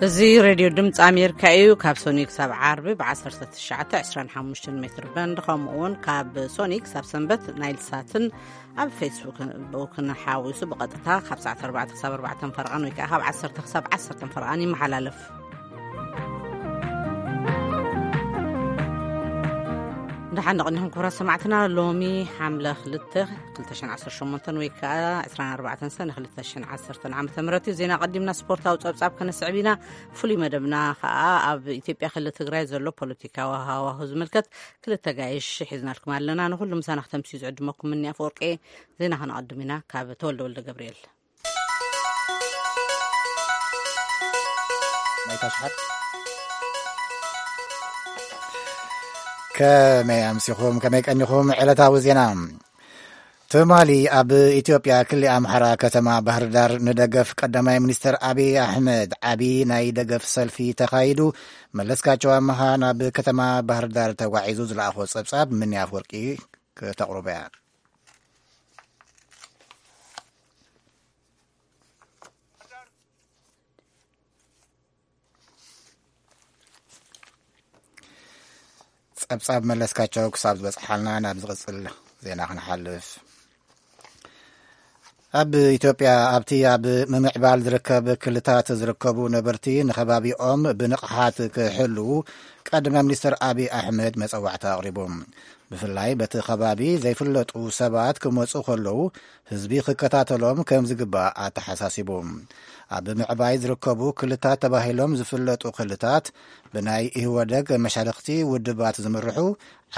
እዚ ሬድዮ ድምፂ ኣሜሪካ እዩ። ካብ ሶኒ ክሳብ ዓርቢ ብ1925 ሜትር በንድ፣ ከምኡ እውን ካብ ሶኒ ክሳብ ሰንበት ናይል ሳትን ኣብ ፌስቡክ ብኡክን ሓዊሱ ብቐጥታ ካብ ሰዓት ኣርባዕተ ክሳብ ኣርባዕተ ፈረቓን ወይ ከዓ ካብ ዓሰርተ ክሳብ ዓሰርተ ፈረቓን ይመሓላለፍ። ደሓን ደቕኒኹም ክቡራት ሰማዕትና። ሎሚ ሓምለ ክልተ ክልተ ሽሕን ዓሰርተ ሸሞንተን ወይ ከዓ ዕስራን ኣርባዕተን ሰነ ክልተ ሽሕን ዓሰርተን ዓመተ ምህረት እዩ። ዜና ቀዲምና ስፖርታዊ ጸብጻብ ከነስዕብ ኢና። ፍሉይ መደብና ከዓ ኣብ ኢትዮጵያ ክልል ትግራይ ዘሎ ፖለቲካዊ ሃዋሁ ዝምልከት ክልተ ጋይሽ ሒዝናልኩም ኣለና። ንኹሉ ምሳና ክተምስዩ ዝዕድመኩም ምኒ ኣፈወርቂ። ዜና ከነቐድም ኢና ካብ ተወልደ ወልደ ገብርኤል። ናይታ ሽሓት። ከመይ ኣምሲኹም፣ ከመይ ቀኒኹም? ዕለታዊ ዜና። ትማሊ ኣብ ኢትዮጵያ ክሊ ኣምሓራ ከተማ ባህር ዳር ንደገፍ ቀዳማይ ሚኒስትር ኣቢይ ኣሕመድ ዓቢ ናይ ደገፍ ሰልፊ ተኻይዱ። መለስካቸው ኣመሃ ናብ ከተማ ባህር ዳር ተጓዒዙ ዝለኣኾ ጸብጻብ ምኒ ኣፍወርቂ ከተቕርቦ እያ። ጸብጻብ መለስካቸው ክሳብ ዝበጽሓልና ናብ ዝቕጽል ዜና ክንሓልፍ። ኣብ ኢትዮጵያ ኣብቲ ኣብ ምምዕባል ዝርከብ ክልታት ዝርከቡ ነበርቲ ንኸባቢኦም ብንቕሓት ክሕልዉ ቀዳማይ ሚኒስትር ኣቢይ ኣሕመድ መጸዋዕታ ኣቕሪቡ። ብፍላይ በቲ ከባቢ ዘይፍለጡ ሰባት ክመጹ ከለዉ ህዝቢ ክከታተሎም ከም ዝግባእ ኣተሓሳሲቡ። ኣብ ምዕባይ ዝርከቡ ክልታት ተባሂሎም ዝፍለጡ ክልታት ብናይ ኢህወደግ መሻርኽቲ ውድባት ዝምርሑ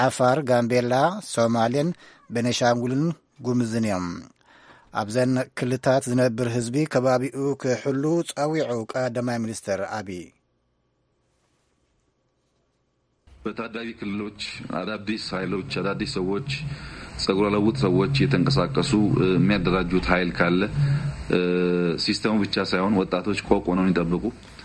ዓፋር፣ ጋምቤላ፣ ሶማሌን ቤኒሻንጉልን ጉምዝን እዮም። ኣብዘን ክልታት ዝነብር ህዝቢ ከባቢኡ ክሕሉ ጸዊዑ ቀዳማይ ሚኒስትር ኣቢይ። በታዳጊ ክልሎች አዳዲስ ኃይሎች፣ አዳዲስ ሰዎች፣ ጸጉረ ለውጥ ሰዎች እየተንቀሳቀሱ፣ እ፣ የሚያደራጁት ኃይል ካለ፣ እ፣ ሲስተሙ ብቻ ሳይሆን ወጣቶች ቆቅ ሆነው እንዲጠብቁ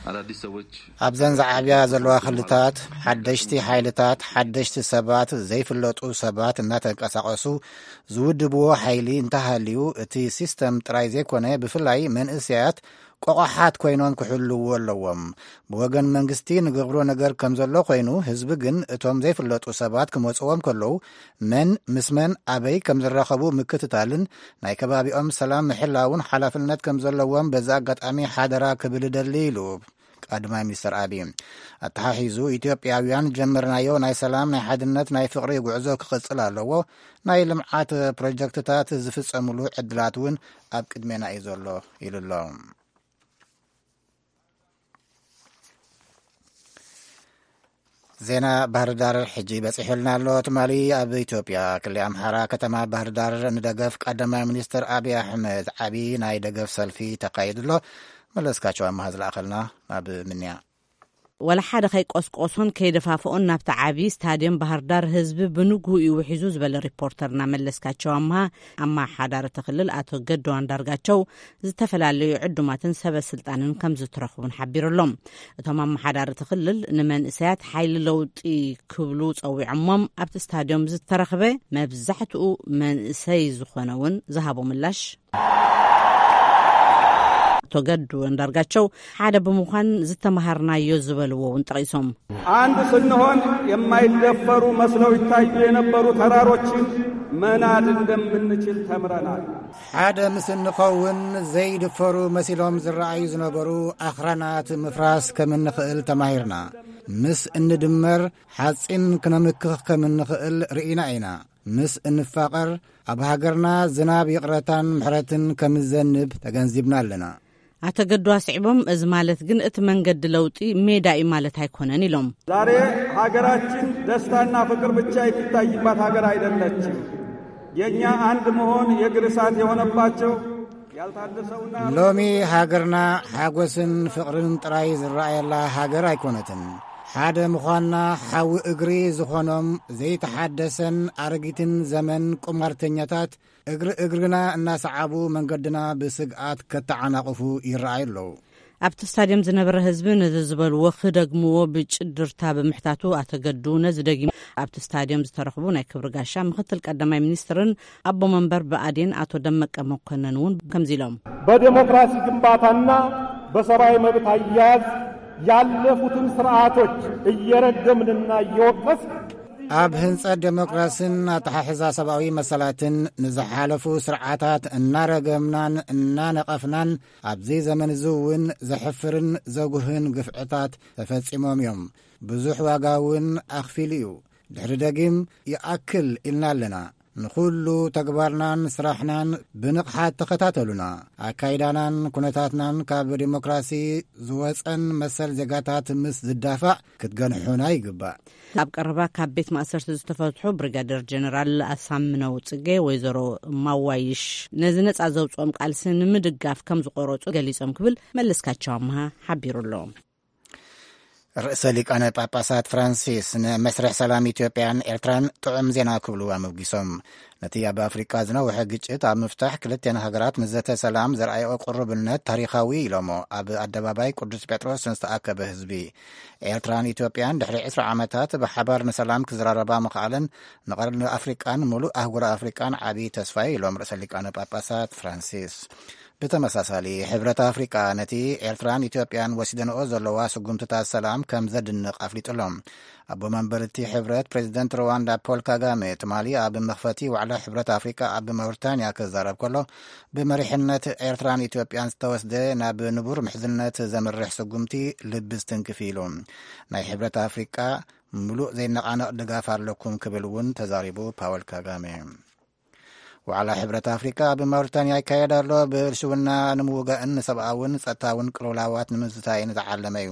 አዳዲስ ሰዎች። ኣብዘን ዝዓብያ ዘለዋ ክልታት ሓደሽቲ ሓይልታት፣ ሓደሽቲ ሰባት፣ ዘይፍለጡ ሰባት እናተንቀሳቐሱ ዝውድብዎ ሓይሊ እንተሃልዩ፣ እቲ ሲስተም ጥራይ ዘይኮነ፣ ብፍላይ መንእሰያት ቆቋሓት ኮይኖም ክሕልዎ ኣለዎም። ብወገን መንግስቲ ንገብሮ ነገር ከም ዘሎ ኮይኑ፣ ህዝቢ ግን እቶም ዘይፍለጡ ሰባት ክመጽዎም ከለዉ መን ምስ መን ኣበይ ከም ዝራኸቡ ምክትታልን ናይ ከባቢኦም ሰላም ምሕላውን ሓላፍነት ከም ዘለዎም በዚ ኣጋጣሚ ሓደራ ክብል እደሊ ኢሉ ቀዳማይ ሚኒስትር ኣቢይ። ኣተሓሒዙ፣ ኢትዮጵያውያን ጀመርናዮ ናይ ሰላም፣ ናይ ሓድነት፣ ናይ ፍቕሪ ጉዕዞ ክቕጽል ኣለዎ። ናይ ልምዓት ፕሮጀክትታት ዝፍጸምሉ ዕድላት እውን ኣብ ቅድሜና እዩ ዘሎ ኢሉ ኣሎ። ዜና ባህር ዳር ሕጂ በጺሑልና ኣሎ። ትማሊ ኣብ ኢትዮጵያ ክልል ኣምሓራ ከተማ ባህር ዳር ንደገፍ ቀዳማይ ሚኒስትር ኣቢይ ኣሕመድ ዓቢ ናይ ደገፍ ሰልፊ ተኻይዱ ኣሎ። መለስካቸው ኣማሃ ዝለኣኸልና ናብ ምንያ። ወላ ሓደ ከይቆስቆሶን ከይደፋፍኦን ናብቲ ዓቢ ስታድየም ባህር ዳር ህዝቢ ብንግሁ እዩ ውሒዙ ዝበለ ሪፖርተርና መለስካቸው ኣምሃ፣ ኣመሓዳሪ እቲ ክልል ኣቶ ገዱ ኣንዳርጋቸው ዝተፈላለዩ ዕዱማትን ሰበ ስልጣንን ከም ዝተረኽቡን ሓቢሩ ኣሎ። እቶም ኣመሓዳሪ እቲ ክልል ንመንእሰያት ሓይሊ ለውጢ ክብሉ ጸዊዖሞም ኣብቲ ስታድዮም ዝተረኽበ መብዛሕትኡ መንእሰይ ዝኾነ እውን ዝሃቦ ምላሽ። ኣቶ ገዱ ኣንዳርጋቸው ሓደ ብምዃን ዝተመሃርናዮ ዝበልዎ እውን ጠቒሶም። አንድ ስንሆን የማይደፈሩ መስለው ይታዩ የነበሩ ተራሮችን መናድ እንደምንችል ተምረናል። ሓደ ምስ እንኸውን ዘይድፈሩ መሲሎም ዝረኣዩ ዝነበሩ ኣኽራናት ምፍራስ ከም እንኽእል ተማሂርና። ምስ እንድመር ሓጺን ክነምክኽ ከም እንኽእል ርኢና ኢና። ምስ እንፋቐር ኣብ ሃገርና ዝናብ ይቕረታን ምሕረትን ከም ዝዘንብ ተገንዚብና ኣለና። ኣቶ ገዱ ኣስዒቦም፣ እዚ ማለት ግን እቲ መንገዲ ለውጢ ሜዳ እዩ ማለት ኣይኮነን ኢሎም። ዛሬ ሀገራችን ደስታና ፍቅር ብቻ የሚታይባት ሀገር አይደለችም። የእኛ አንድ መሆን የእግር እሳት የሆነባቸው ያልታደሰውና ሎሚ ሃገርና ሓጎስን ፍቕርን ጥራይ ዝረኣየላ ሃገር ኣይኮነትን። ሓደ ምዃንና ሓዊ እግሪ ዝኾኖም ዘይተሓደሰን ኣረጊትን ዘመን ቁማርተኛታት እግሪ እግርና እናሰዓቡ መንገድና ብስግኣት ከተዓናቕፉ ይረኣዩ ኣለዉ። ኣብቲ ስታድየም ዝነበረ ህዝቢ ነዚ ዝበልዎ ክደግምዎ ብጭድርታ ብምሕታቱ ኣቶ ገዱ ነዚ ደጊሙ ኣብቲ ስታድየም ዝተረኽቡ ናይ ክብሪ ጋሻ ምክትል ቀዳማይ ሚኒስትርን ኣቦ መንበር ብኣዴን ኣቶ ደመቀ መኮነን እውን ከምዚ ኢሎም። በዴሞክራሲ ግንባታና በሰብኣዊ መብት ኣያያዝ ያለፉትን ስርዓቶች እየረገምንና እየወቀስን ኣብ ህንጸት ዴሞክራሲን ኣተሓሕዛ ሰብኣዊ መሰላትን ንዝሓለፉ ስርዓታት እናረገምናን እናነቐፍናን፣ ኣብዚ ዘመን እዚ እውን ዘሕፍርን ዘጉህን ግፍዕታት ተፈጺሞም እዮም። ብዙሕ ዋጋ እውን ኣኽፊሉ እዩ። ድሕሪ ደጊም ይኣክል ኢልና ኣለና። ንኹሉ ተግባርናን ስራሕናን ብንቕሓት ተኸታተሉና። ኣካይዳናን ኩነታትናን ካብ ዴሞክራሲ ዝወጸን መሰል ዜጋታት ምስ ዝዳፋዕ ክትገንሑና ይግባእ። ኣብ ቀረባ ካብ ቤት ማእሰርቲ ዝተፈትሑ ብሪጋደር ጀነራል ኣሳምነው ጽጌ፣ ወይዘሮ ማዋይሽ ነዚ ነጻ ዘውጽኦም ቃልሲ ንምድጋፍ ከም ዝቆረጹ ገሊጾም ክብል መለስካቸው ኣምሃ ሓቢሩ ኣሎ። ርእሰ ሊቃነ ጳጳሳት ፍራንሲስ ንመስርሕ ሰላም ኢትዮጵያን ኤርትራን ጥዑም ዜና ክብሉ ኣመጊሶም። ነቲ ኣብ ኣፍሪቃ ዝነውሐ ግጭት ኣብ ምፍታሕ ክልቴን ሃገራት ንዘተ ሰላም ዘርኣየኦ ቅሩብነት ታሪኻዊ ኢሎሞ። ኣብ ኣደባባይ ቅዱስ ጴጥሮስ ንዝተኣከበ ህዝቢ፣ ኤርትራን ኢትዮጵያን ድሕሪ ዕስራ ዓመታት ብሓባር ንሰላም ክዘራረባ ምኽኣለን ንቐርኒ ኣፍሪቃን ምሉእ ኣህጉር ኣፍሪቃን ዓቢ ተስፋ ኢሎም ርእሰ ሊቃነ ጳጳሳት ፍራንሲስ። ብተመሳሳሊ፣ ሕብረት ኣፍሪቃ ነቲ ኤርትራን ኢትዮጵያን ወሲደንኦ ዘለዋ ስጉምትታት ሰላም ከም ዘድንቕ ኣፍሊጡ ኣሎ። ኣቦ መንበር እቲ ሕብረት ፕሬዚደንት ሩዋንዳ ፖል ካጋሜ ትማሊ ኣብ መኽፈቲ ዋዕላ ሕብረት ኣፍሪቃ ኣብ ማውሪታንያ ክዛረብ ከሎ፣ ብመሪሕነት ኤርትራን ኢትዮጵያን ዝተወስደ ናብ ንቡር ምሕዝነት ዘምርሕ ስጉምቲ ልቢ ዝትንክፍ ኢሉ። ናይ ሕብረት ኣፍሪቃ ምሉእ ዘይነቓነቕ ድጋፍ ኣለኩም ክብል እውን ተዛሪቡ ፓወል ካጋሜ። ዋዕላ ሕብረት ኣፍሪቃ ኣብ ማውሪታንያ ይካየድ ኣሎ። ብልሽውና ንምውጋእን ንሰብኣውን ጸጥታውን ቅልውላዋት ንምዝታይን ዝዓለመ እዩ።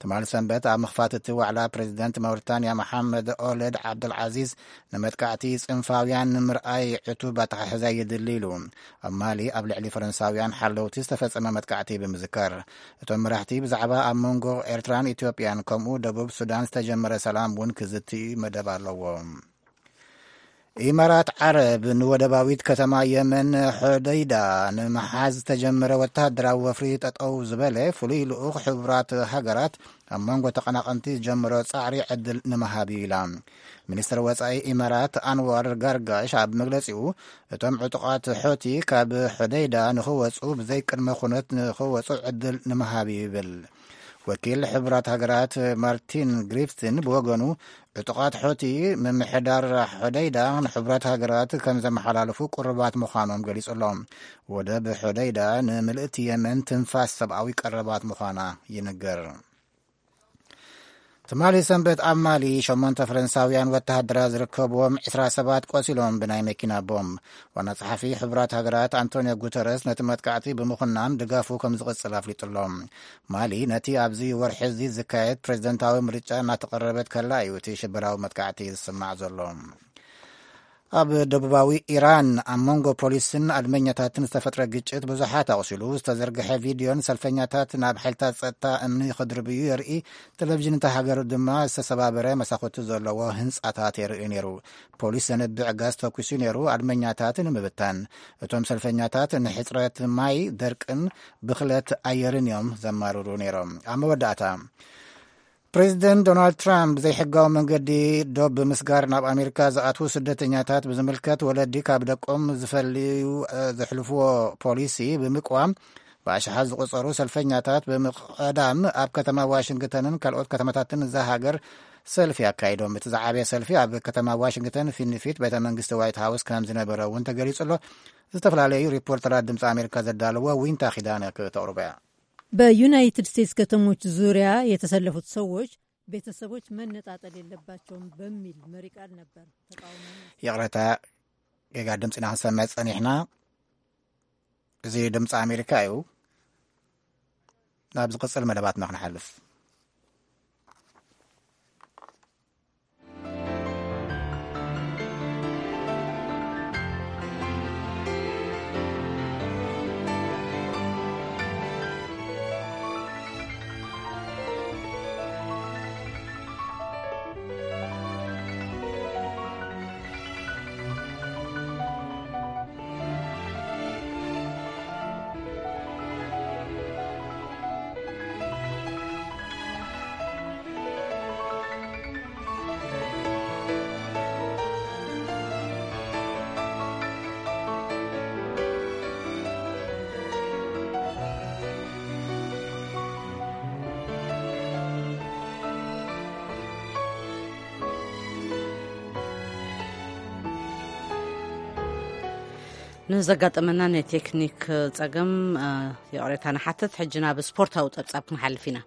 ትማሊ ሰንበት ኣብ ምኽፋት እቲ ዋዕላ ፕሬዚደንት ማውሪታንያ መሓመድ ኦለድ ዓብዱልዓዚዝ ንመጥቃዕቲ ጽንፋውያን ንምርኣይ ዕቱብ ኣተሓሕዛ የድሊ ኢሉ። ኣብ ማሊ ኣብ ልዕሊ ፈረንሳውያን ሓለውቲ ዝተፈጸመ መጥቃዕቲ ብምዝካር፣ እቶም መራሕቲ ብዛዕባ ኣብ መንጎ ኤርትራን ኢትዮጵያን ከምኡ ደቡብ ሱዳን ዝተጀመረ ሰላም እውን ክዝቲ መደብ ኣለዎም። ኢማራት ዓረብ ንወደባዊት ከተማ የመን ሖደይዳ ንምሓዝ ዝተጀመረ ወተሃደራዊ ወፍሪ ጠጠው ዝበለ ፍሉይ ልኡኽ ሕቡራት ሃገራት ኣብ መንጎ ተቐናቐንቲ ዝጀመሮ ጻዕሪ ዕድል ንምሃብ እዩ ኢላ። ሚኒስትር ወጻኢ ኢማራት ኣንዋር ጋርጋሽ ኣብ መግለጺኡ፣ እቶም ዕጡቓት ሖቲ ካብ ሖደይዳ ንኽወጹ ብዘይ ቅድመ ኩነት ንኽወጹ ዕድል ንምሃብ እዩ ይብል። ወኪል ሕቡራት ሃገራት ማርቲን ግሪፍትን ብወገኑ፣ ዕጡቓት ሖቲ ምምሕዳር ሖደይዳ ንሕቡራት ሃገራት ከም ዘመሓላልፉ ቅሩባት ምዃኖም ገሊጹ ኣሎ። ወደብ ሖደይዳ ንምልእቲ የመን ትንፋስ ሰብኣዊ ቀረባት ምዃና ይንገር። ትማሊ ሰንበት ኣብ ማሊ ሸሞንተ ፈረንሳውያን ወተሃደራት ዝርከብዎም ዕስራ ሰባት ቆሲሎም ብናይ መኪና ቦምብ። ዋና ጸሓፊ ሕቡራት ሃገራት ኣንቶኒዮ ጉተረስ ነቲ መጥቃዕቲ ብምኹናን ድጋፉ ከም ዝቕጽል ኣፍሊጡ ኣሎ። ማሊ ነቲ ኣብዚ ወርሒ እዚ ዝካየድ ፕሬዝደንታዊ ምርጫ እናተቐረበት ከላ እዩ እቲ ሽበራዊ መጥቃዕቲ ዝስማዕ ዘሎ። ኣብ ደቡባዊ ኢራን ኣብ መንጎ ፖሊስን ኣድመኛታትን ዝተፈጥረ ግጭት ብዙሓት ኣቑሲሉ። ዝተዘርግሐ ቪድዮን ሰልፈኛታት ናብ ሓይልታት ጸጥታ እምኒ ክድርብዩ የርኢ። ቴሌቪዥን እታ ሃገር ድማ ዝተሰባበረ መሳኹቲ ዘለዎ ህንጻታት የርኢ ነይሩ። ፖሊስ ዘንብዕ ጋዝ ተኩሱ ነይሩ፣ ኣድመኛታት ንምብታን። እቶም ሰልፈኛታት ንሕጽረት ማይ፣ ደርቅን ብኽለት ኣየርን እዮም ዘማርሩ ነይሮም። ኣብ መወዳእታ፣ ፕሬዚደንት ዶናልድ ትራምፕ ዘይሕጋዊ መንገዲ ዶብ ብምስጋር ናብ ኣሜሪካ ዝኣትዉ ስደተኛታት ብዝምልከት፣ ወለዲ ካብ ደቆም ዝፈልዩ፣ እ፣ ዘሕልፍዎ ፖሊሲ ብምቅዋም፣ ብኣሽሓት ዝቑጸሩ ሰልፈኛታት ብምቕዳም ኣብ ከተማ ዋሽንግተንን ካልኦት ከተማታትን እዛ ሃገር ሰልፊ ኣካይዶም። እቲ ዝዓበየ ሰልፊ ኣብ ከተማ ዋሽንግተን ፊት ንፊት ቤተ መንግስቲ ዋይት ሃውስ ከም ዝነበረ እውን ተገሊጹ ኣሎ። ዝተፈላለዩ ሪፖርተራት ድምፂ ኣሜሪካ ዘዳለዎ ዊንታ ኪዳነ ክተቕርቦ እያ። በዩናይትድ ስቴትስ ከተሞች ዙሪያ የተሰለፉት ሰዎች ቤተሰቦች መነጣጠል የለባቸውም በሚል መሪ ቃል ነበር ተቃውሞ። ይቕረታ፣ ጌጋ ድምፂና ክንሰምዕ ጸኒሕና። እዚ ድምፂ ኣሜሪካ እዩ። ናብ ዝቕጽል መደባትና ክንሓልፍ። ንዘጋጠመና ናይ ቴክኒክ ጸገም፣ እ፣ ይቕሬታ ንሓትት። ሕጂ ናብ ስፖርታዊ ጸብጻብ ክንሓልፍ ኢና።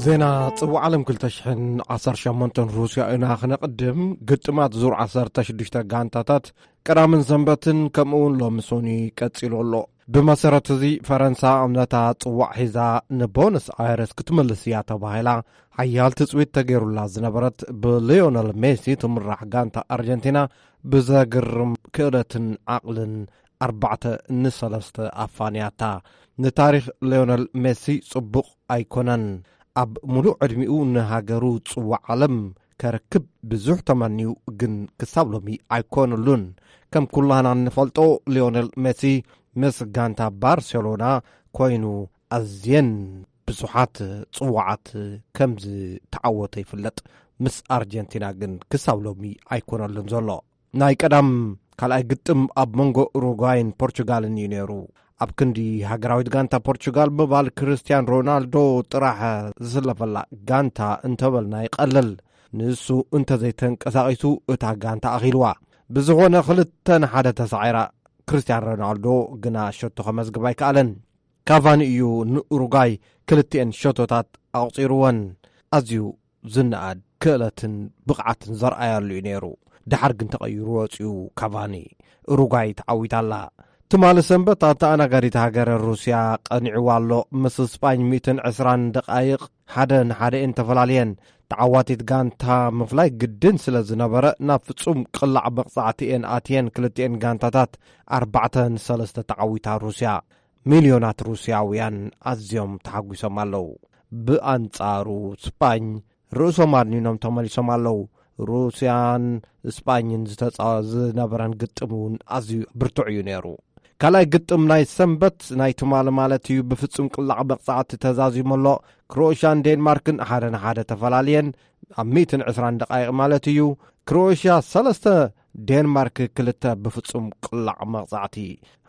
ዜና ጽዋዕ ዓለም ክልተ ሽሕን ዓሰርተ ሸሞንተን ሩስያ ኢና ክነቕድም። ግጥማት ዙር ዓሰርተ ሽዱሽተ ጋንታታት ቀዳምን ሰንበትን ከምኡ እውን ሎሚ ሶኒ ቀጺሉ ኣሎ። ብመሰረት እዚ ፈረንሳ ነታ ጽዋዕ ሒዛ ንቦነስ ኣይረስ ክትምልስ እያ ተባሂላ ሓያል ትጽቢት ተገይሩላ ዝነበረት ብሊዮነል ሜሲ ትምራሕ ጋንታ ኣርጀንቲና ብዘግርም ክእለትን ዓቕልን ኣርባዕተ ንሰለስተ ኣፋንያታ። ንታሪኽ ሊዮነል ሜሲ ጽቡቕ ኣይኮነን። ኣብ ሙሉእ ዕድሚኡ ንሃገሩ ጽዋዕ ዓለም ከረክብ ብዙሕ ተመንዩ፣ ግን ክሳብ ሎሚ ኣይኮነሉን። ከም ኩላና እንፈልጦ ሊዮነል ሜሲ ምስ ጋንታ ባርሴሎና ኮይኑ ኣዝየን ብዙሓት ጽዋዓት ከም ዝተዓወተ ይፍለጥ። ምስ ኣርጀንቲና ግን ክሳብ ሎሚ ኣይኮነሉን ዘሎ። ናይ ቀዳም ካልኣይ ግጥም ኣብ መንጎ ኡሩጓይን ፖርቹጋልን እዩ ነይሩ። ኣብ ክንዲ ሃገራዊት ጋንታ ፖርቹጋል ምባል ክርስቲያን ሮናልዶ ጥራሕ ዝስለፈላ ጋንታ እንተበልና ይቐልል። ንሱ እንተዘይተንቀሳቒሱ እታ ጋንታ ኣኺልዋ። ብዝኾነ ክልተ ንሓደ ተሳዒራ። ክርስቲያን ሮናልዶ ግና ሸቶ ከመዝግብ ኣይከኣለን። ካቫኒ እዩ ንኡሩጓይ ክልቲኤን ሸቶታት ኣቑጺርወን። ኣዝዩ ዝነኣድ ክእለትን ብቕዓትን ዘርኣያሉ እዩ ነይሩ። ደሓር ግን ተቐይሩ ወጺኡ ካቫኒ። ኡሩጓይ ተዓዊታ ኣላ። ትማሊ ሰንበት ኣብ ተኣናጋዲት ሃገረ ሩስያ ቀኒዕዋ ኣሎ። ምስ ስጳኝ ሚእትን ዕስራን ደቓይቕ ሓደ ንሓደ እየን ተፈላልየን። ተዓዋቲት ጋንታ ምፍላይ ግድን ስለ ዝነበረ ናብ ፍጹም ቅላዕ መቕጻዕቲ እየን ኣትየን። ክልቲኤን ጋንታታት ኣርባዕተ ንሰለስተ ተዓዊታ ሩስያ። ሚልዮናት ሩስያውያን ኣዝዮም ተሓጒሶም ኣለዉ። ብኣንጻሩ ስጳኝ ርእሶም ኣድኒኖም ተመሊሶም ኣለዉ። ሩስያን ስጳኝን ዝተጻወ ዝነበረን ግጥም እውን ኣዝዩ ብርቱዕ እዩ ነይሩ። ካልኣይ ግጥም ናይ ሰንበት ናይ ትማሊ ማለት እዩ ብፍጹም ቅላዕ መቕጻዕቲ ተዛዚሙ ኣሎ። ክሮኤሽያን ዴንማርክን ሓደ ንሓደ ተፈላልየን ኣብ ሚእትን ዕስራን ደቓይቕ ማለት እዩ። ክሮኤሽያ ሰለስተ፣ ዴንማርክ ክልተ ብፍጹም ቅላዕ መቕጻዕቲ።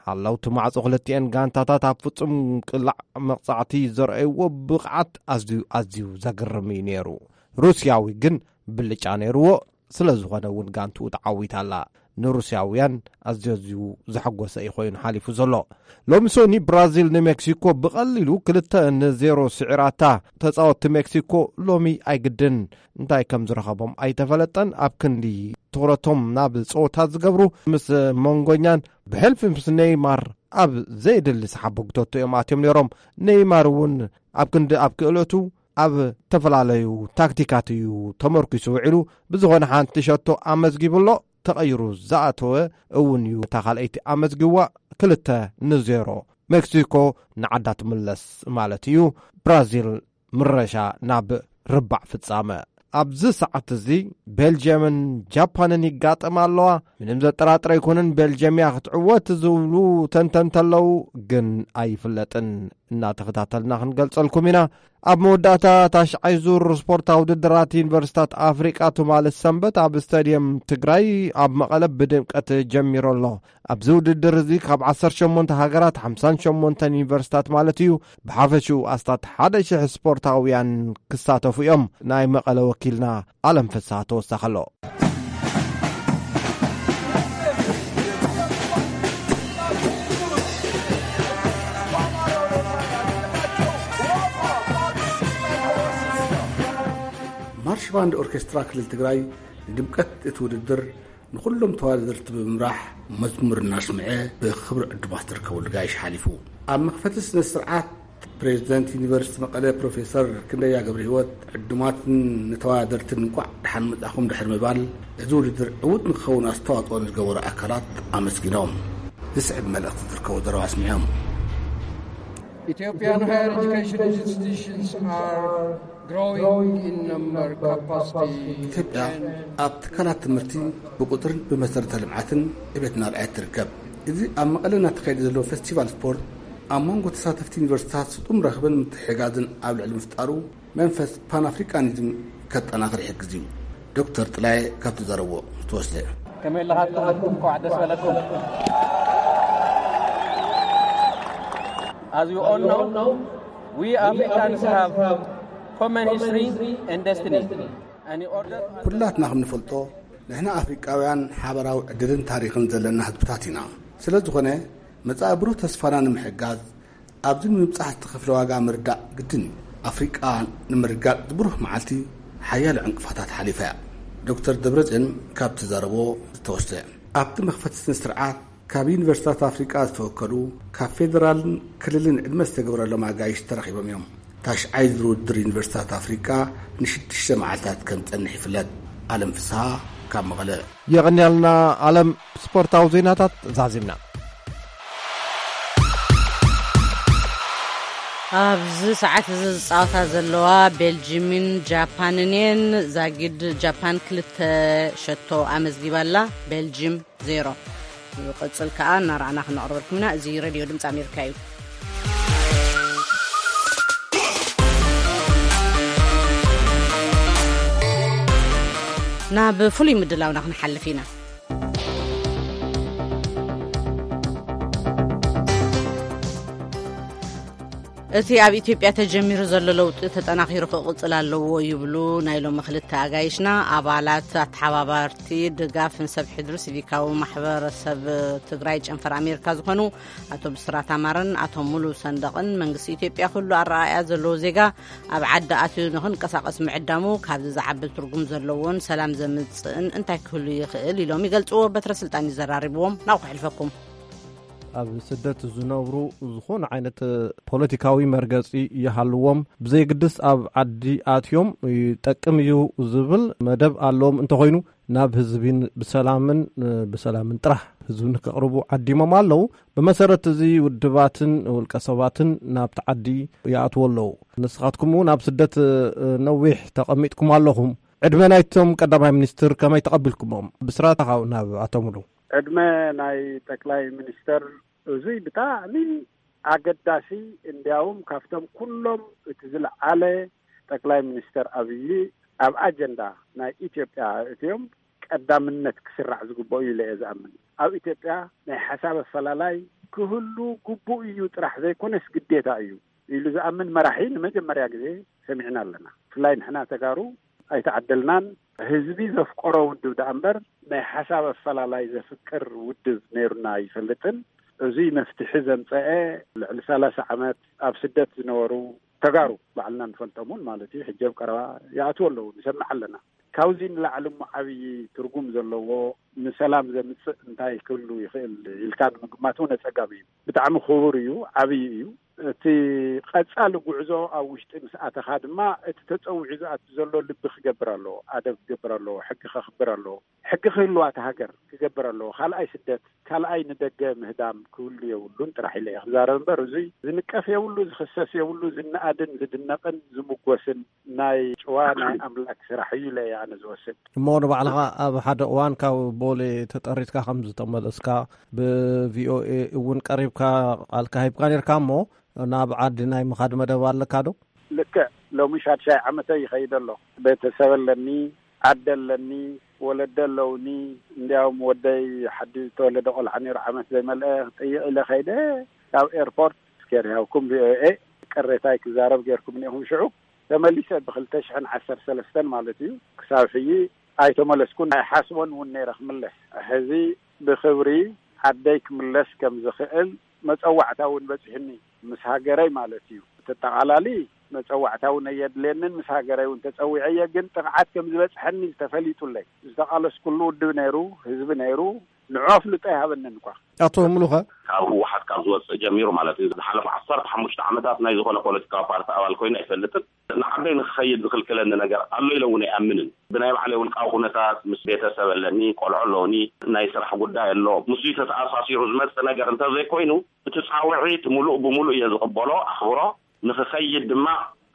ሓለውቲ ማዕጾ ክልቲኤን ጋንታታት ኣብ ፍጹም ቅላዕ መቕጻዕቲ ዘርኣይዎ ብቕዓት ኣዝዩ ኣዝዩ ዘግርም እዩ ነይሩ። ሩስያዊ ግን ብልጫ ነይርዎ። ስለ ዝኾነ እውን ጋንትኡ ተዓዊታ ኣላ። ንሩስያውያን ኣዝዩ ኣዝዩ ዘሐጎሰ እዩ ኮይኑ ሓሊፉ ዘሎ። ሎሚ ሶኒ ብራዚል ንሜክሲኮ ብቐሊሉ ክልተ ንዜሮ ስዒራታ። ተጻወትቲ ሜክሲኮ ሎሚ ኣይግድን እንታይ ከም ዝረኸቦም ኣይተፈለጠን። ኣብ ክንዲ ትኹረቶም ናብ ጸወታ ዝገብሩ ምስ መንጎኛን ብሕልፊ ምስ ኔይማር ኣብ ዘየድሊ ሰሓቦ ግቶቶ እዮም ኣትዮም ነይሮም። ኔይማር እውን ኣብ ክንዲ ኣብ ክእለቱ ኣብ ዝተፈላለዩ ታክቲካት እዩ ተመርኪሱ ውዒሉ። ብዝኾነ ሓንቲ ሸቶ ኣመዝጊቡ ኣሎ። ተቐይሩ ዝኣተወ እውን እዩ። እታ ካልኣይቲ ኣመዝጊዋ። ክልተ ንዜሮ ሜክሲኮ ንዓዳ ትምለስ ማለት እዩ። ብራዚል ምረሻ ናብ ርባዕ ፍጻመ። ኣብዚ ሰዓት እዚ ቤልጅየምን ጃፓንን ይጋጠማ ኣለዋ። ምንም ዘጠራጥር ኣይኮነን ቤልጅየም እያ ክትዕወት ዝብሉ ተንተንቲ ኣለዉ፣ ግን ኣይፍለጥን። እናተኸታተልና ክንገልጸልኩም ኢና። ኣብ መወዳእታ ታሽዓይ ዙር ስፖርታዊ ውድድራት ዩኒቨርሲታት ኣፍሪቃ ትማሊ ሰንበት ኣብ ስታድየም ትግራይ ኣብ መቐለ ብድምቀት ጀሚሩ ኣሎ። ኣብዚ ውድድር እዚ ካብ ዓሰርተ ሸሞንተ ሃገራት ሓምሳን ሸሞንተን ዩኒቨርሲታት ማለት እዩ ብሓፈሽኡ ኣስታት ሓደ ሽሕ ስፖርታውያን ክሳተፉ እዮም። ናይ መቐለ ወኪልና ኣለም ፍስሃ ተወሳኸ ኣሎ። ማርሽ ባንድ ኦርኬስትራ ክልል ትግራይ ንድምቀት እቲ ውድድር ንኹሎም ተወዳደርቲ ብምምራሕ መዝሙር እናስምዐ ብኽብሪ ዕዱማት ዝርከበሉ ጋይሽ ሓሊፉ። ኣብ መኽፈቲ ስነ ስርዓት ፕሬዚደንት ዩኒቨርሲቲ መቐለ ፕሮፌሰር ክንደያ ገብረ ህይወት ዕዱማትን ንተወዳደርትን እንቋዕ ደሓን መጻኹም ድሕሪ ምባል እዚ ውድድር ዕዉት ንክኸውን ኣስተዋፅኦ ንዝገበሩ ኣካላት ኣመስጊኖም ዝስዕብ መልእኽቲ ዝርከቦ ዘረባ ኣስሚዖም። Ethiopian higher education institutions are growing in number, capacity, ኢትዮጵያ ኣብ ትካላት ትምህርቲ ብቁፅርን ብመሰረተ ልምዓትን ዕቤት እናርኣየት ትርከብ። እዚ ኣብ መቐለ እናተኻየደ ዘሎ ፌስቲቫል ስፖርት ኣብ መንጎ ተሳተፍቲ ዩኒቨርሲታት ስጡም ረኽብን ምትሕጋዝን ኣብ ልዕሊ ምፍጣሩ መንፈስ ፓንኣፍሪካኒዝም ከጠናኽር ይሕግዝ እዩ። ዶክተር ጥላየ ካብቲ ዘረቦ ዝተወስደ። ከመይ ኣለኻትኩም? እንኳዕ ደስ በለኩም። As you all know, we Africans have common history and destiny. And in order ኩላትና ከም ንፈልጦ ንሕና ኣፍሪቃውያን ሓበራዊ ዕድልን ታሪኽን ዘለና ህዝብታት ኢና። ስለ ዝኾነ፣ መጻኢ ብሩህ ተስፋና ንምሕጋዝ፣ ኣብዚ ንምብጻሕ ዝተኸፍለ ዋጋ ምርዳእ ግድን እዩ። ኣፍሪቃ ንምርጋጥ ብሩህ መዓልቲ ሓያሎ ዕንቅፋታት ሓሊፋ እያ። ዶክተር ደብረጽዮን ካብቲ ዘረቦ ዝተወስደ። ኣብቲ መኽፈቲ ስነ ስርዓት፣ ካብ ዩኒቨርሲታት ኣፍሪቃ ዝተወከሉ፣ ካብ ፌደራልን ክልልን ዕድመ ዝተገብረሎም ኣጋይሽ ተረኺቦም እዮም። ታሽዓይ ዙር ውድድር ዩኒቨርሲታት ኣፍሪቃ ንሽዱሽተ መዓልታት ከም ዝጸንሕ ይፍለጥ። ኣለም ፍስሃ ካብ መቐለ። የቐንያልና ኣለም። ስፖርታዊ ዜናታት ዛዚምና። ኣብዚ ሰዓት እዚ ዝጻወታ ዘለዋ ቤልጂምን ጃፓንን እየን። ዛጊድ ጃፓን ክልተ ሸቶ ኣመዝጊባ ኣላ፣ ቤልጂም ዜሮ። ይቕጽል ከኣ እናረኣና ክነቕርበልኩም ኢና። እዚ ሬድዮ ድምፂ ኣሜሪካ እዩ። ናብ ፍሉይ ምድላውና ክንሓልፍ ኢና። እቲ ኣብ ኢትዮጵያ ተጀሚሩ ዘሎ ለውጢ ተጠናኺሩ ክቕጽል ኣለዎ ይብሉ ናይ ሎሚ ክልተ ኣጋይሽና፣ ኣባላት ኣተሓባባርቲ ድጋፍ ንሰብ ሕድሪ ሲቪካዊ ማሕበረሰብ ትግራይ ጨንፈር ኣሜሪካ ዝኾኑ ኣቶ ብስራት ኣማረን ኣቶ ሙሉ ሰንደቕን። መንግስቲ ኢትዮጵያ ኩሉ ኣረኣእያ ዘለዎ ዜጋ ኣብ ዓዲ ኣትዩ ንኽንቀሳቐስ ምዕዳሙ ካብዚ ዝዓቢ ትርጉም ዘለዎን ሰላም ዘምጽእን እንታይ ክህሉ ይኽእል ኢሎም ይገልጽዎ። በትረ ስልጣን ይዘራርብዎም። ናብኡ ክሕልፈኩም። ኣብ ስደት ዝነብሩ ዝኾነ ዓይነት ፖለቲካዊ መርገጺ ይሃልዎም፣ ብዘየግድስ ኣብ ዓዲ ኣትዮም ይጠቅም እዩ ዝብል መደብ ኣለዎም እንተኾይኑ፣ ናብ ህዝቢን ብሰላምን፣ ብሰላምን ጥራሕ ህዝቢ ንከቕርቡ ዓዲሞም ኣለዉ። ብመሰረት እዚ ውድባትን ውልቀ ሰባትን ናብቲ ዓዲ ይኣትዉ ኣለዉ። ንስኻትኩም እውን ኣብ ስደት ነዊሕ ተቐሚጥኩም ኣለኹም። ዕድመ ናይቶም ቀዳማይ ሚኒስትር ከመይ ተቐቢልኩሞም? ብስራት ካብ ናብ ኣቶ ሙሉ። ዕድመ ናይ ጠቅላይ ሚኒስተር እዙይ ብጣዕሚ ኣገዳሲ፣ እንዲያውም ካብቶም ኩሎም እቲ ዝለዓለ ጠቅላይ ሚኒስተር ኣብይ ኣብ ኣጀንዳ ናይ ኢትዮጵያ እትዮም ቀዳምነት ክስራዕ ዝግበኦ እዩ ኢለ እየ ዝኣምን። ኣብ ኢትዮጵያ ናይ ሓሳብ ኣፈላላይ ክህሉ ግቡእ እዩ ጥራሕ ዘይኮነስ ግዴታ እዩ ኢሉ ዝኣምን መራሒ ንመጀመርያ ግዜ ሰሚዕና ኣለና። ብፍላይ ንሕና ተጋሩ ኣይተዓደልናን። ህዝቢ ዘፍቀሮ ውድብ ደኣ እምበር ናይ ሓሳብ ኣፈላላይ ዘፍቅር ውድብ ነይሩና ኣይፈልጥን። እዙይ መፍትሒ ዘምፀአ ልዕሊ ሰላሳ ዓመት ኣብ ስደት ዝነበሩ ተጋሩ ባዕልና ንፈልጦም እውን ማለት እዩ። ሕጂ ኣብ ቀረባ ይኣትዉ ኣለዉ፣ ንሰምዕ ኣለና። ካብዚ ንላዕሊ እሞ ዓብዪ ትርጉም ዘለዎ ንሰላም ዘምፅእ እንታይ ክህሉ ይኽእል ኢልካ ንምግማት እውን ኣፀጋሚ እዩ። ብጣዕሚ ክቡር እዩ፣ ዓብዪ እዩ። እቲ ቀፃሊ ጉዕዞ ኣብ ውሽጢ ምስ ኣተኻ ድማ እቲ ተፀዊዑ ዝኣቱ ዘሎ ልቢ ክገብር ኣለዎ፣ ኣደብ ክገብር ኣለዎ፣ ሕጊ ከኽብር ኣለዎ። ሕጊ ክህልዋ እታ ሃገር ክገብር ኣለዎ። ካልኣይ ስደት፣ ካልኣይ ንደገ ምህዳም ክህሉ የብሉን ጥራሕ ኢለ እየ ክዛረብ እምበር፣ እዙይ ዝንቀፍ የብሉ፣ ዝኽሰስ የብሉ፣ ዝነኣድን ዝድነቕን ዝምጎስን ናይ ጭዋ ናይ ኣምላክ ስራሕ እዩ ኢለ እየ ኣነ ዝወስድ። እሞ ንባዕልኻ ኣብ ሓደ እዋን ካብ ቦሌ ተጠሪትካ ከም ዝተመለስካ፣ ብቪኦኤ እውን ቀሪብካ ቃልካ ሂብካ ነርካ እሞ፣ ናብ ዓዲ ናይ ምኻድ መደብ ኣለካ ዶ? ልክዕ፣ ሎሚ ሻድሻይ ዓመተይ ይኸይድ ኣሎ። ቤተሰብ ኣለኒ፣ ዓዲ ኣለኒ፣ ወለዲ ኣለውኒ። እንዲያውም ወደይ ሓዲ ዝተወለደ ቆልዓ ነይሩ፣ ዓመት ዘይመልአ፣ ክጥይቕ ኢለ ከይደ፣ ካብ ኤርፖርት ስኬር ያውኩም ቪኦኤ ቅሬታይ ክዛረብ ጌርኩም እኒኹም ሽዑ። ተመሊሰ ብክልተ ሽሕን ዓሰርተ ሰለስተን ማለት እዩ። ክሳብ ሕጂ ኣይተመለስኩን። ኣይሓስቦን እውን ነይረ ክምለስ። ሕዚ ብክብሪ ዓደይ ክምለስ ከም ዝኽእል መጸዋዕታ እውን በጺሑኒ፣ ምስ ሃገረይ ማለት እዩ። ተጠቓላሊ መጸዋዕታ እውን ኣየድልየንን፣ ምስ ሃገረይ እውን ተጸዊዐ እየ፣ ግን ጥቕዓት ከም ዝበጽሐኒ ዝተፈሊጡለይ፣ ዝተቓለስኩሉ ውድብ ነይሩ፣ ህዝቢ ነይሩ፣ ንዑ ኣፍልጦ ይሃበንን እኳ። ኣቶ ሙሉኸ? ካብ ህወሓት ካብ ዝወፅእ ጀሚሩ ማለት እዩ፣ ዝሓለፉ ዓሰርተ ሓሙሽተ ዓመታት ናይ ዝኾነ ፖለቲካዊ ፓርቲ ኣባል ኮይኑ ኣይፈልጥን። ንዓደይ ንክኸይድ ዝኽልክለኒ ነገር ኣሎ ኢለ እውን ኣይኣምንን። ብናይ ባዕለይ ውልቃዊ ኩነታት፣ ምስ ቤተሰብ ኣለኒ፣ ቆልዑ ኣለውኒ፣ ናይ ስራሕ ጉዳይ ኣሎ፣ ምስዚ ተተኣሳሲሩ ዝመፅእ ነገር እንተዘይኮይኑ፣ እቲ ፃውዒት ሙሉእ ብሙሉእ እየ ዝቕበሎ፣ ኣኽብሮ። ንክኸይድ ድማ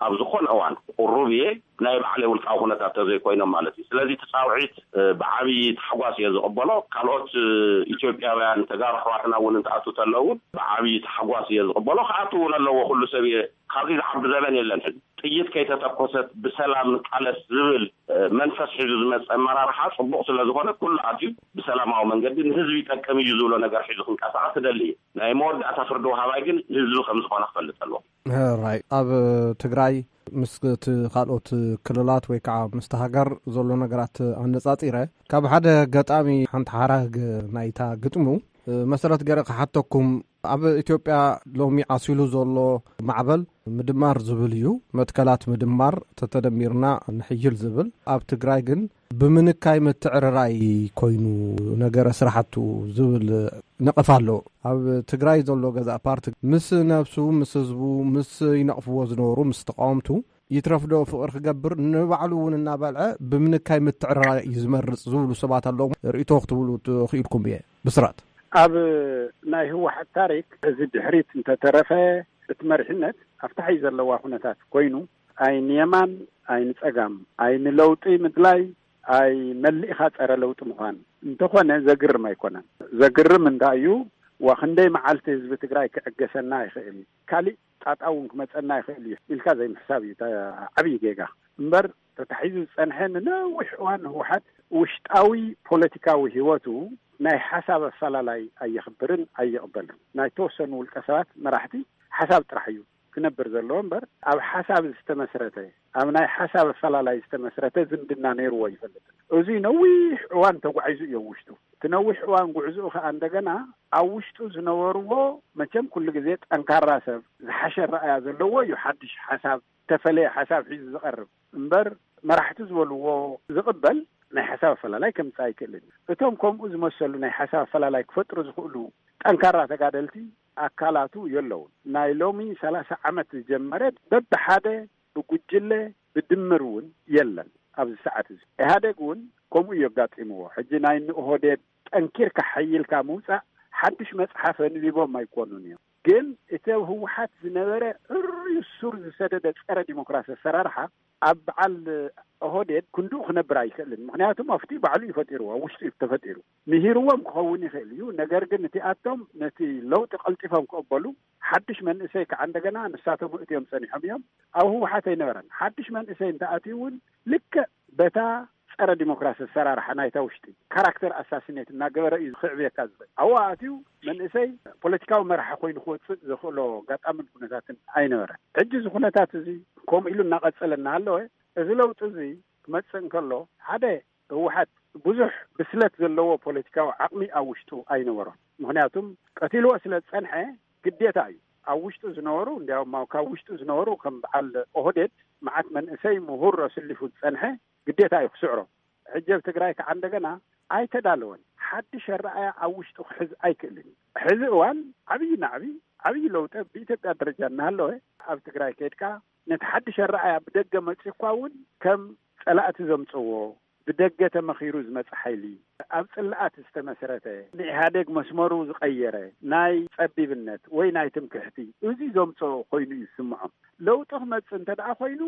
ኣብ ዝኾነ እዋን ቁሩብ እየ፣ ናይ ባዕለይ ውልቃዊ ኩነታት ተዘይኮይኖም ማለት እዩ። ስለዚ እቲ ፃውዒት፣ እ፣ ብዓብዪ ታሕጓስ እየ ዝቕበሎ። ካልኦት፣ እ፣ ኢትዮጵያውያን ተጋሩ ኣሕዋትና እውን እንትኣትዉ ተለዉ እውን ብዓብዪ ታሕጓስ እየ ዝቕበሎ። ክኣትዉ እውን ኣለዎ፣ ኩሉ ሰብ እየ። ካብዚ ዝዓቢ ዘበን የለን። ሕዚ ጥይት ከይተተኮሰት ብሰላም ንቃለስ ዝብል፣ እ፣ መንፈስ ሒዙ ዝመፀ ኣመራርሓ ፅቡቕ ስለ ዝኾነ ኩሉ ኣትዩ ብሰላማዊ መንገዲ ንህዝቢ ይጠቅም እዩ ዝብሎ ነገር ሒዙ ክንቀሳቐስ እደሊ እየ። ናይ መወዳእታ ፍርዲ ወሃባይ ግን ህዝቢ ከም ዝኾነ ክፈልጥ ኣለዎ። ራይ፣ ኣብ ትግራይ ምስ እቲ ካልኦት ክልላት ወይ ከዓ ምስቲ ሃገር ዘሎ ነገራት ኣነጻጺረ፣ ካብ ሓደ ገጣሚ ሓንቲ ሓራግ ናይታ ግጥሙ መሰረት ገረ ክሓተኩም። ኣብ ኢትዮጵያ ሎሚ ዓሲሉ ዘሎ ማዕበል ምድማር ዝብል እዩ። መትከላት ምድማር ተተደሚርና ንሕይል ዝብል፣ ኣብ ትግራይ ግን ብምንካይ ምትዕርራይ ኮይኑ ነገረ ስራሕቱ ዝብል ነቐፍ ኣሎ። ኣብ ትግራይ ዘሎ ገዛእ ፓርቲ ምስ ነብሱ፣ ምስ ህዝቡ፣ ምስ ይነቕፍዎ ዝነበሩ፣ ምስ ተቃወምቱ ይትረፍዶ ፍቕሪ ክገብር ንባዕሉ እውን እናበልዐ ብምንካይ ምትዕርራይ እዩ ዝመርጽ ዝብሉ ሰባት ኣለዉ። ርእይቶ ክትብሉ ትኽኢልኩም እየ። ብስራት ኣብ ናይ ህወሓት ታሪክ እዚ ድሕሪት እንተተረፈ እቲ መሪሕነት ኣብታ ሕዚ ዘለዋ ኩነታት ኮይኑ ኣይ ንየማን ኣይ ንጸጋም ኣይ ንለውጢ ምድላይ ኣይ መሊእኻ ጸረ ለውጢ ምዃን እንተኾነ ዘግርም ኣይኮነን። ዘግርም እንታይ እዩ? ዋ ክንደይ መዓልቲ ህዝቢ ትግራይ ክዕገሰና ይኽእል፣ ካሊእ ጣጣ እውን ክመጸና ይኽእል እዩ ኢልካ ዘይምሕሳብ እዩ። ዓብዪ ጌጋ እምበር ተታሒዙ ዝጸንሐ ንነዊሕ እዋን ህወሓት ውሽጣዊ ፖለቲካዊ ህይወቱ ናይ ሓሳብ ኣፈላላይ ኣየኽብርን ኣየቕበልን። ናይ ተወሰኑ ውልቀ ሰባት መራሕቲ ሓሳብ ጥራሕ እዩ ክነብር ዘለዎ እምበር ኣብ ሓሳብ ዝተመስረተ፣ ኣብ ናይ ሓሳብ ኣፈላላይ ዝተመስረተ ዝምድና ነይርዎ ይፈልጥ። እዚ ነዊሕ እዋን ተጓዒዙ እዮ ውሽጡ። እቲ ነዊሕ እዋን ጉዕዝኡ ከዓ እንደገና ኣብ ውሽጡ ዝነበርዎ መቸም ኩሉ ግዜ ጠንካራ ሰብ ዝሓሸ ረኣያ ዘለዎ እዩ። ሓድሽ ሓሳብ ተፈለየ ሓሳብ ሒዙ ዝቐርብ እምበር መራሕቲ ዝበልዎ ዝቕበል ናይ ሓሳብ ኣፈላላይ ከምፅእ ኣይክእልን። እቶም ከምኡ ዝመሰሉ ናይ ሓሳብ ኣፈላላይ ክፈጥሩ ዝኽእሉ ጠንካራ ተጋደልቲ ኣካላቱ የለውን። ናይ ሎሚ ሰላሳ ዓመት ዝጀመረ በብሓደ ብጉጅለ ብድምር እውን የለን። ኣብዚ ሰዓት እዚ ኢህኣደግ እውን ከምኡ እዩ ኣጋጢምዎ። ሕጂ ናይ ንኦህዴድ ጠንኪርካ ሓይልካ ምውፃእ ሓድሽ መፅሓፍ ኣንቢቦም ኣይኮኑን እዮም። ግን እቲ ኣብ ህወሓት ዝነበረ ዕርዩ ሱር ዝሰደደ ፀረ ዲሞክራሲ ኣሰራርሓ ኣብ በዓል ኦህዴድ ክንድኡ ክነብር ኣይክእልን። ምክንያቱም ኣብቲ ባዕሉ እዩ ፈጢርዎ፣ ኣብ ውሽጡ እዩ ተፈጢሩ። ምሂርዎም ክኸውን ይኽእል እዩ። ነገር ግን እቲ ኣቶም ነቲ ለውጢ ቀልጢፎም ክቕበሉ ሓድሽ መንእሰይ ከዓ እንደገና ንሳቶም እትዮም ጸኒሖም እዮም። ኣብ ህወሓት ኣይነበረን። ሓድሽ መንእሰይ እንተኣትዩ እውን ልክዕ በታ ጸረ ዲሞክራሲ ኣሰራርሓ ናይታ ውሽጢ ካራክተር ኣሳሲኔት እናገበረ እዩ ክዕብየካ ዝኽእል። ኣብኡ ኣትዩ መንእሰይ ፖለቲካዊ መራሒ ኮይኑ ክወፅእ ዘኽእሎ ኣጋጣምን ኩነታትን ኣይነበረን። ሕጂ እዚ ኩነታት እዚ ከምኡ ኢሉ እናቐፀለ እናሃለወ እዚ ለውጢ እዚ ክመፅእ እንከሎ ሓደ ህወሓት ብዙሕ ብስለት ዘለዎ ፖለቲካዊ ዓቕሚ ኣብ ውሽጡ ኣይነበሮን። ምክንያቱም ቀቲልዎ ስለ ዝፀንሐ ግዴታ እዩ። ኣብ ውሽጡ ዝነበሩ እንዲያውም ኣብ ካብ ውሽጡ ዝነበሩ ከም በዓል ኦህዴድ መዓት መንእሰይ ምሁር ኣስሊፉ ዝፀንሐ ግዴታ እዩ ክስዕሮ። ሕጂ ኣብ ትግራይ ከዓ እንደገና ኣይተዳለወን። ሓድሽ ኣረኣያ ኣብ ውሽጡ ክሕዝ ኣይክእልን እዩ። ሕዚ እዋን ዓብዪ ናዕቢ ዓብዪ ለውጢ ብኢትዮጵያ ደረጃ እናሃለወ ኣብ ትግራይ ከይድካ ነቲ ሓድሽ ኣረኣያ ብደገ መፂእኳ እውን ከም ፀላእቲ ዘምፅዎ ብደገ ተመኺሩ ዝመፀ ሓይሊ ኣብ ፅላኣት ዝተመስረተ ንኢህኣዴግ መስመሩ ዝቐየረ ናይ ፀቢብነት ወይ ናይ ትምክሕቲ እዚ ዘምፅኦ ኮይኑ እዩ ዝስምዖም። ለውጢ ክመፅእ እንተ ደኣ ኮይኑ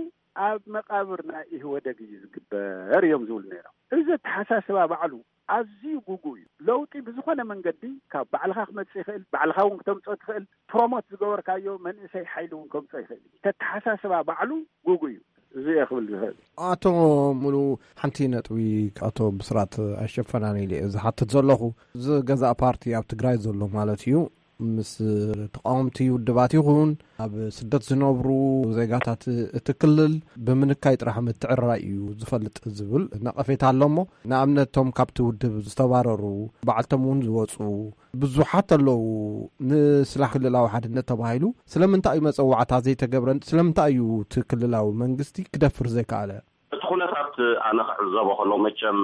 ኣብ መቃብር ናይ ኢህወደግ እዩ ዝግበር እዮም ዝብሉ ነይሮም። እዚ ኣተሓሳስባ ባዕሉ ኣዝዩ ጉጉ እዩ። ለውጢ ብዝኾነ መንገዲ ካብ ባዕልኻ ክመፅእ ይኽእል፣ ባዕልኻ እውን ክተምፅኦ ትኽእል። ፕሮሞት ዝገበርካዮ መንእሰይ ሓይሊ እውን ከምፅኦ ይኽእል እዩ። ተተሓሳስባ ባዕሉ ጉጉ እዩ። እዚ እየ ክብል ዝኽእል። ኣቶ ሙሉ፣ ሓንቲ ነጥቢ ኣቶ ብስራት ኣይሸፈናን ኢለ እየ ዝሓትት ዘለኹ። እዚ ገዛእ ፓርቲ ኣብ ትግራይ ዘሎ ማለት እዩ፣ ምስ ተቃወምቲ ውድባት ይኹን ኣብ ስደት ዝነብሩ ዜጋታት እቲ ክልል ብምንካይ ጥራሕ ምትዕርራይ እዩ ዝፈልጥ ዝብል ነቐፌታ ኣሎ። እሞ ንኣብነት እቶም ካብቲ ውድብ ዝተባረሩ ባዕልቶም እውን ዝወፁ ብዙሓት ኣለዉ። ንስላሕ ክልላዊ ሓድነት ተባሂሉ ስለምንታይ እዩ መፀዋዕታ ዘይተገብረን? ስለምንታይ እዩ እቲ ክልላዊ መንግስቲ ክደፍር ዘይከኣለ? እቲ ኩነታት ኣነ ክዕዘቦ ከለኹ መቸም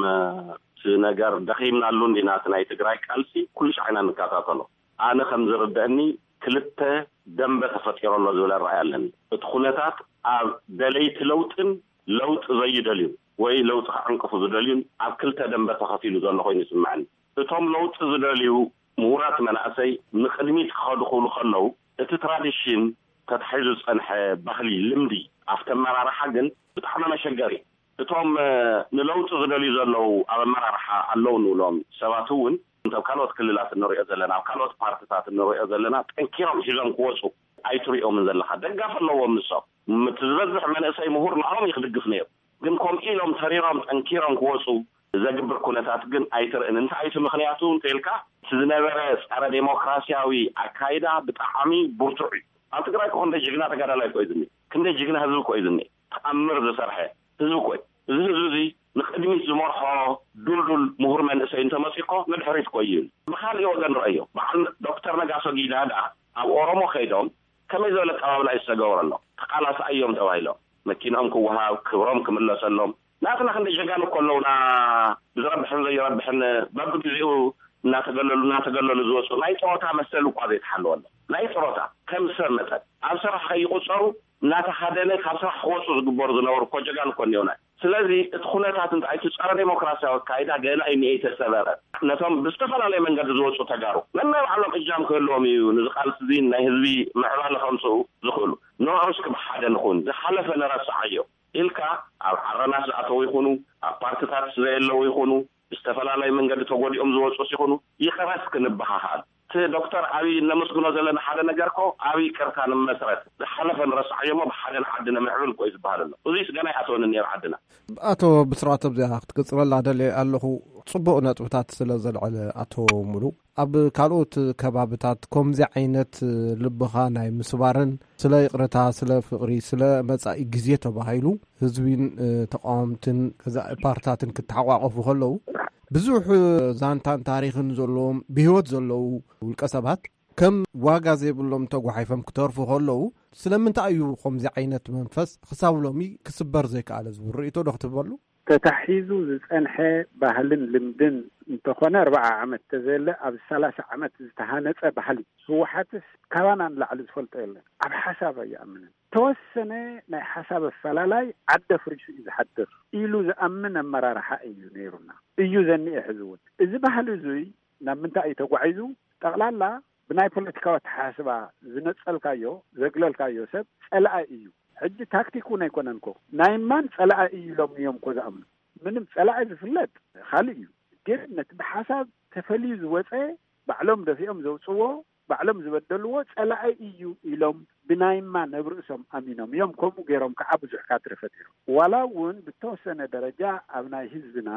እቲ ነገር ደኺምናሉ እንዲና፣ እቲ ናይ ትግራይ ቃልሲ ኩሉ ሻዕ ኢና ንከታተሎ። ኣነ ከም ዝርደአኒ ክልተ ደንበ ተፈጢሩ ኣሎ ዝብል ኣረኣእያ ኣለኒ። እቲ ኩነታት ኣብ ደለይቲ ለውጥን ለውጢ ዘይደልዩ ወይ ለውጢ ክዕንቅፉ ዝደልዩን ኣብ ክልተ ደንበ ተኸፊሉ ዘሎ ኮይኑ ይስምዐኒ። እቶም ለውጢ ዝደልዩ ምሁራት መናእሰይ ንቕድሚት ክኸዱ ክብሉ ከለዉ እቲ ትራዲሽን ተታሒዙ ዝጸንሐ ባህሊ፣ ልምዲ ኣብቲ ኣመራርሓ ግን ብጣዕሚ መሸገሪ። እቶም ንለውጢ ዝደልዩ ዘለዉ ኣብ ኣመራርሓ ኣለዉ ንብሎም ሰባት እውን እንተ ካልኦት ክልላት እንሪኦ ዘለና ኣብ ካልኦት ፓርትታት እንሪኦ ዘለና ጠንኪሮም ሒዞም ክወፁ ኣይትሪኦምን ዘለኻ። ደጋፍ ኣለዎም ንሶም። እቲ ዝበዝሕ መንእሰይ ምሁር ንዕኦም እዩ ክድግፍ ነይሩ። ግን ከምኡ ኢሎም ተሪሮም ጠንኪሮም ክወፁ ዘግብር ኩነታት ግን ኣይትርእን። እንታይ እቲ ምኽንያቱ እንተኢልካ እቲ ዝነበረ ፀረ ዴሞክራሲያዊ ኣካይዳ ብጣዕሚ ብርቱዕ እዩ። ኣብ ትግራይ እኮ ክንደይ ጅግና ተጋዳላይ እኮ እዩ ዝኒኤ። ክንደይ ጅግና ህዝቢ እኮ እዩ ዝኒኤ። ተኣምር ዝሰርሐ ህዝቢ እኮ እዩ። እዚ ህዝቢ እዚ ንቅድሚት ዝመርሖ ዱልዱል ምሁር መንእሰይ እንተመፂኡ እኮ ንድሕሪት እኮ እዩ። ብካሊእ ወገን ረእዮ፣ በዓል ዶክተር ነጋሶ ጊዳዳ ኣብ ኦሮሞ ከይዶም ከመይ ዝበለ ኣቀባብላ እዩ ዝተገበረሎም? ተቃላሳይ እዮም ተባሂሎም መኪንኦም ክወሃብ፣ ክብሮም ክምለሰሎም። ናትና ክንደይ ጀጋኑ እኮ ኣለውና፣ ብዝረብሕን ዘይረብሕን በብግዜኡ እናተገለሉ እናተገለሉ ዝወፁ፣ ናይ ጥሮታ መሰል እኳ ዘይተሓለወሎም፣ ናይ ጥሮታ ከም ሰብ መጠን ኣብ ስራሕ ከይቁፀሩ እናተሃደነ ካብ ስራሕ ክወፁ ዝግበሩ ዝነበሩ እኮ ጀጋኑ እኮ እኒኦና። ስለዚ እቲ ኩነታት እንታይ፣ እቲ ጸረ ዴሞክራሲያዊ ኣካይዳ ገና እዩ እኒኤ፣ ኣይተሰበረን። ነቶም ብዝተፈላለየ መንገዲ ዝወፁ ተጋሩ ነናይ ባዕሎም እጃም ክህልዎም እዩ፣ ንዚ ቃልሲ እዚ ናይ ህዝቢ ምዕባለ ከምፅኡ ዝኽእሉ። ንዕኡ እስኪ ብሓደ ንኹን፣ ዝሓለፈ ንረስዓዮ ኢልካ ኣብ ዓረናት ዝኣተዉ ይኹኑ፣ ኣብ ፓርትታት ዘየለዉ ይኹኑ፣ ብዝተፈላለየ መንገዲ ተጎዲኦም ዝወፁስ ይኹኑ፣ ይቕረ እስኪ ንበሃሃል። እቲ ዶክተር ኣብይ እነመስግኖ ዘለና ሓደ ነገር እኮ፣ ኣብ ይቅርታ ንመስረት፣ ዝሓለፈ ንረስዓዮ እሞ ብሓደ ንዓዲ ነምዕብል እኮ እዩ ዝበሃል ኣሎ። እዙይስ ገና ይኣተወን እኒኦ ኣብ ዓድና። ኣቶ ብስራት፣ ኣብዚኣ ክትቅጽለላ ደልየ ኣለኹ። ጽቡቕ ነጥብታት ስለ ዘልዐለ ኣቶ ሙሉ፣ ኣብ ካልኦት ከባብታት ከምዚ ዓይነት ልብኻ ናይ ምስባርን ስለ ይቕረታ፣ ስለ ፍቕሪ፣ ስለ መጻኢ ግዜ ተባሂሉ ህዝቢን፣ እ፣ ተቃወምትን ገዛኢ ፓርትታትን ክተሓቋቆፉ ከለዉ ብዙሕ ዛንታን ታሪኽን ዘለዎም ብህይወት ዘለዉ ውልቀ ሰባት ከም ዋጋ ዘይብሎም ተጓሓይፎም ክተርፉ ከለዉ፣ ስለምንታይ እዩ ከምዚ ዓይነት መንፈስ ክሳብ ሎሚ ክስበር ዘይከኣለ ዝብል ርእይቶ ዶ ክትህበሉ? ተታሒዙ ዝጸንሐ ባህልን ልምድን እንተኾነ፣ ኣርብዓ ዓመት ተዘየለ፣ ኣብ ሰላሳ ዓመት ዝተሃነጸ ባህሊ። ህወሓትስ ካባና ንላዕሊ ዝፈልጦ የለን። ኣብ ሓሳብ ኣይኣምንን። ተወሰነ ናይ ሓሳብ ኣፈላላይ ዓዲ ኣፍሪሱ እዩ ዝሓድር ኢሉ ዝኣምን ኣመራርሓ እዩ ነይሩና። እዩ ዘኒኤ ሕዚ እውን። እዚ ባህሊ እዙይ ናብ ምንታይ እዩ ተጓዒዙ? ጠቕላላ ብናይ ፖለቲካዊ ኣተሓሳስባ ዝነጸልካዮ፣ ዘግለልካዮ ሰብ ጸላኢ እዩ። ሕጂ ታክቲክ እውን ኣይኮነን እኮ። ናይ ማን ጸላኢ እዩ ኢሎም እዮም እኮ ዝኣምኑ። ምንም ጸላኢ ዝፍለጥ ካልእ እዩ። ግን ነቲ ብሓሳብ ተፈልዩ ዝወጸ፣ ባዕሎም ደፊኦም ዘውጽዎ፣ ባዕሎም ዝበደልዎ ጸላኢ እዩ ኢሎም ብናይማ ነብርእሶም ኣሚኖም እዮም። ከምኡ ገይሮም ከዓ ብዙሕ ካድረ ፈጢሮም። ዋላ እውን ብተወሰነ ደረጃ ኣብ ናይ ህዝብና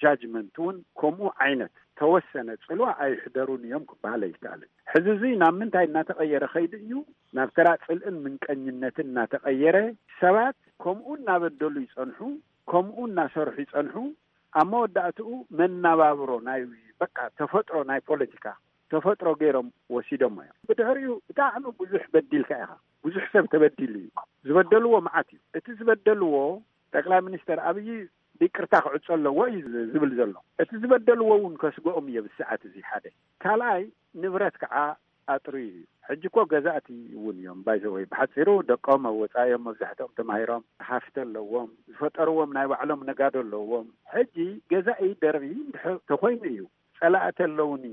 ጃጅመንት እውን ከምኡ ዓይነት ተወሰነ ጽልዋ ኣይሕደሩን እዮም ክበሃል ኣይከኣልን። ሕዚ እዙይ ናብ ምንታይ እናተቐየረ ከይዱ እዩ? ናብ ተራ ጽልእን ምንቀኝነትን እናተቐየረ፣ ሰባት ከምኡ እናበደሉ ይጸንሑ፣ ከምኡ እናሰርሑ ይጸንሑ። ኣብ መወዳእትኡ መነባብሮ ናይ በቃ ተፈጥሮ ናይ ፖለቲካ ተፈጥሮ ገይሮም ወሲዶሞ እዮም። ብድሕሪኡ ብጣዕሚ ብዙሕ በዲልካ ኢኻ። ብዙሕ ሰብ ተበዲሉ እዩ። ዝበደልዎ መዓት እዩ። እቲ ዝበደልዎ ጠቅላይ ሚኒስተር ኣብይ ብይቅርታ ክዕጾ ኣለዎ እዩ ዝብል ዘሎ። እቲ ዝበደልዎ እውን ከስግኦም እየ ብሰዓት እዚ ሓደ። ካልኣይ ንብረት ከዓ ኣጥርዩ እዩ። ሕጂ እኮ ገዛእቲ እውን እዮም። ባይዘወይ ብሓፂሩ ደቆም ኣብ ወፃኢ እዮም፣ መብዛሕትኦም ተማሂሮም፣ ሃፍቲ ኣለዎም፣ ዝፈጠርዎም ናይ ባዕሎም ነጋዶ ኣለዎም። ሕጂ ገዛኢ ደርቢ እንድሕር ተኮይኑ እዩ ጸላእቲ ኣለውኒ፣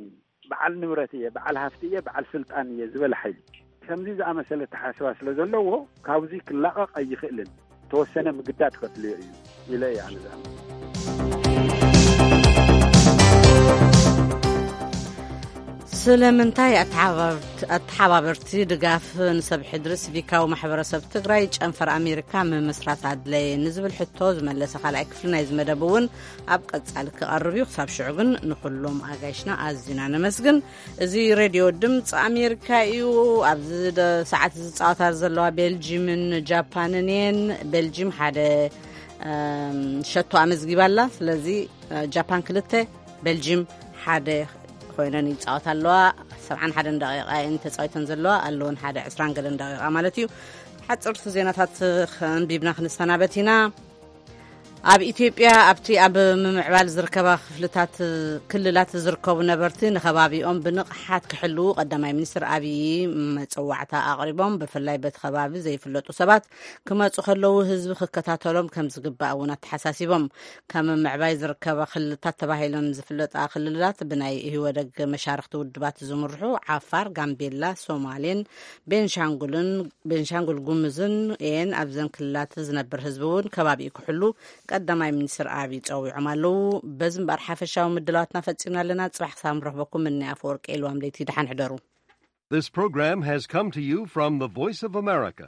በዓል ንብረት እየ፣ በዓል ሃፍቲ እየ፣ በዓል ስልጣን እየ ዝበለ ሓይሊ ከምዚ ዝኣመሰለ ተሓስባ ስለ ዘለዎ ካብዚ ክላቐቕ ኣይኽእልን። ተወሰነ ምግዳድ ከድልዮ እዩ ኢለ እየ ኣነ ዝኣምን። ስለምንታይ ኣተሓባብርት-፣ ኣተሓባበርቲ ድጋፍ ንሰብ ሕድሪ ሲቪካዊ ማሕበረሰብ ትግራይ ጨንፈር ኣሜሪካ ምምስራት ኣድለየ ንዝብል ሕቶ ዝመለሰ ካልኣይ ክፍሊ ናይዚ መደብ እውን ኣብ ቀጻሊ ክቐርብ እዩ። ክሳብ ሽዑ ግን ንኹሎም ኣጋይሽና ኣዝና ነመስግን። እዚ ሬድዮ ድምፂ ኣሜሪካ እዩ። ኣብዚ ደ-፣ ሰዓት ዝፃወታ ዘለዋ ቤልጂምን ጃፓንን እየን። ቤልጂም ሓደ፣ እም፣ ሸቶ ኣመዝጊባ ኣላ። ስለዚ፣ እ፣ ጃፓን ክልተ፣ ቤልጂም ሓደ ኮይነን ይፃወታ ኣለዋ። ሰብዓን ሓደን ደቂቃ እየን ተፃዊተን ዘለዋ፣ ኣለወን ሓደ ዕስራን ገለን ደቂቃ ማለት እዩ። ሓፅርቲ ዜናታት ከንቢብና ክንሰናበት ኢና። ኣብ ኢትዮጵያ ኣብቲ ኣብ ምምዕባል ዝርከባ ክፍልታት፣ ክልላት ዝርከቡ ነበርቲ ንከባቢኦም ብንቕሓት ክሕልዉ ቀዳማይ ሚኒስትር ኣብዪ መጸዋዕታ ኣቕሪቦም። ብፍላይ በቲ ከባቢ ዘይፍለጡ ሰባት ክመጹ ከለዉ ህዝቢ ክከታተሎም ከም ዝግባእ እውን ኣተሓሳሲቦም። ካብ ምምዕባይ ዝርከባ ክልልታት ተባሂለን ዝፍለጣ ክልላት ብናይ ኢህወደግ መሻርኽቲ ውድባት ዝምርሑ ዓፋር፣ ጋምቤላ፣ ሶማሌን ቤንሻንጉልን፣ ቤንሻንጉል ጉምዝን እየን። ኣብዘን ክልላት ዝነብር ህዝቢ እውን ከባቢኡ ክሕሉ ቀዳማይ ሚኒስትር ኣብይ ጸዊዖም ኣለዉ። በዚ እምበኣር ሓፈሻዊ ምድላዋትና ፈጺምና ኣለና። ጽባሕ ክሳብ ንረኽበኩም፣ እኒ ኣፈወርቂ ኤልዋም ለይቲ ደሓን ሕደሩ። This program has come to you from the Voice of America.